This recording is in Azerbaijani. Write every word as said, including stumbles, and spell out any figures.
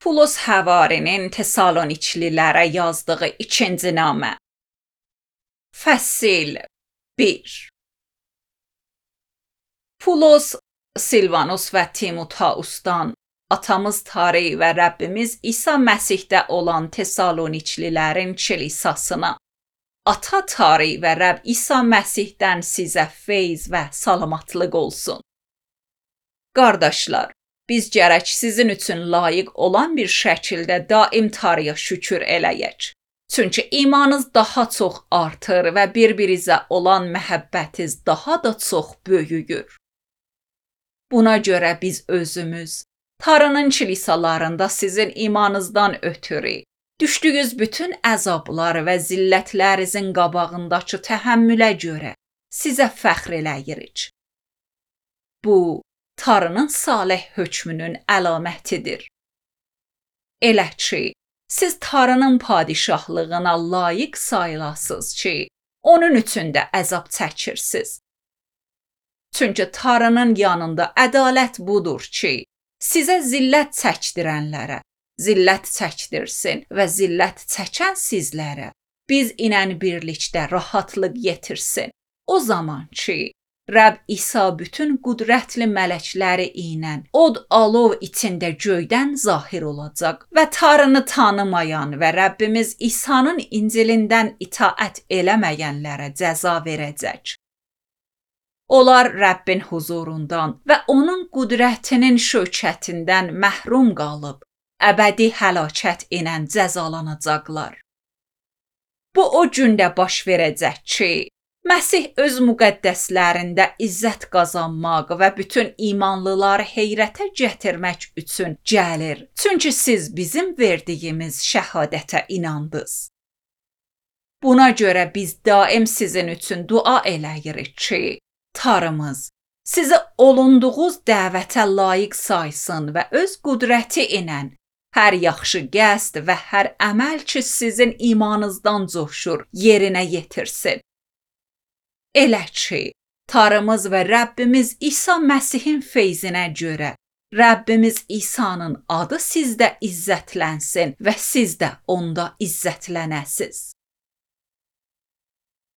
Pulos Həvarinin Tesaloniçlilərə yazdığı ikinci namə. Fəsil bir. Pulos, Silvanus və Timoteusdan atamız Tari və Rəbbimiz İsa Məsihdə olan Tesaloniçlilərin kilisasına, Ata Tari və Rəbb İsa Məsihdən sizə feyz və salamatlıq olsun. Qardaşlar, biz gərək sizin üçün layiq olan bir şəkildə daim Tarıya şükür eləyək. Çünki imanınız daha çox artır və bir-birinizə olan məhəbbətiniz daha da çox böyüyür. Buna görə biz özümüz, Tarının kilisalarında sizin imanınızdan ötürü, düşdüyünüz bütün əzablar və zillətlərinizin qabağındakı təhəmmülə görə sizə fəxr eləyirik. Bu, Tarının salih hökmünün əlamətidir. Elə ki, siz Tarının padişahlığına layiq sayılasınız ki, onun üçün də əzab çəkirsiniz. Çünki Tarının yanında ədalət budur ki, sizə zillət çəkdirənlərə zillət çəkdirsin və zillət çəkən sizlərə biz ilə birlikdə rahatlıq yetirsin. O zaman ki, Rəbb İsa bütün qüdrətli mələkləri ilə od alov içində göydən zahir olacaq və Tarını tanımayan və Rəbbimiz İsa'nın İncilindən itaət eləməyənlərə cəza verəcək. Onlar Rəbbin huzurundan və onun qüdrətinin şövkətindən məhrum qalıb, əbədi həlakət ilə cəzalanacaqlar. Bu o gündə baş verəcək ki, Məsih öz müqəddəslərində izzət qazanmaq və bütün imanlıları heyrətə gətirmək üçün gəlir. Çünki siz bizim verdiyimiz şəhadətə inandınız. Buna görə biz daim sizin üçün dua eləyirik ki, Tarımız sizi olunduğunuz dəvətə layiq saysın və öz qüdrəti ilə hər yaxşı qəsd və hər əməl ki sizin imanınızdan coşur, yerinə yetirsin. Elə ki, Tarımız və Rəbbimiz İsa Məsihin feyzinə görə Rəbbimiz İsa'nın adı sizdə izzətlənsin və siz də onda izzətlənəsiz.